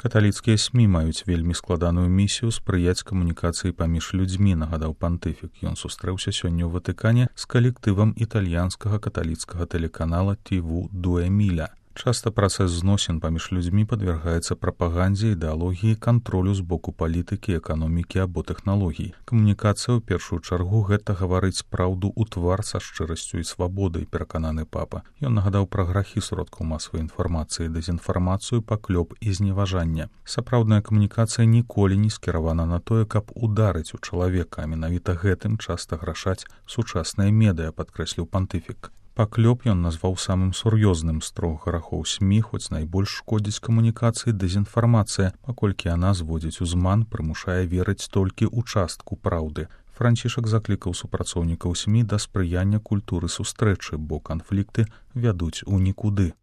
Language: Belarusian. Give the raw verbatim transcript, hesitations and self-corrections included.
Каталіцкія СМІ маюць вельмі складаную місію спрыяць камунікацыі паміж людзьмі, нагадаў пантыфік. Ён сустрэўся сёння ў Ватыкане з калектывам італьянскага каталіцкага тэлеканала ТВ «Дуэ Миля». Часта працэс зносін паміж людзьмі падвяргаецца прапагандзе, ідэалогіі, кантролю з боку палітыкі, эканомікі або тэхналогій. Камунікацыя ў першую чаргу гэта гаварыць праўду ў твар са шчырасцю і свабодай, перакананы папа. Ён нагадаў пра грахі сродкаў масавай інфармацыі, дэзінфармацыю, паклёп і зневажанне. Сапраўдная камунікацыя ніколі не скіравана на тое, каб ударыць у чалавека, а менавіта гэтым часта грашаць сучасныя медыа, падкрэсліў пантыфік. Паклёп ён назваў самым сур'ёзным з трох грахоў СМІ, хоць найбольш шкодзіць камунікацыі дэзінфармацыя, паколькі яна зводзіць у зман, прымушае верыць толькі ў частку праўды. Францішак заклікаў супрацоўнікаў СМІ да спрыяння культуры сустрэчы, бо канфлікты вядуць у нікуды.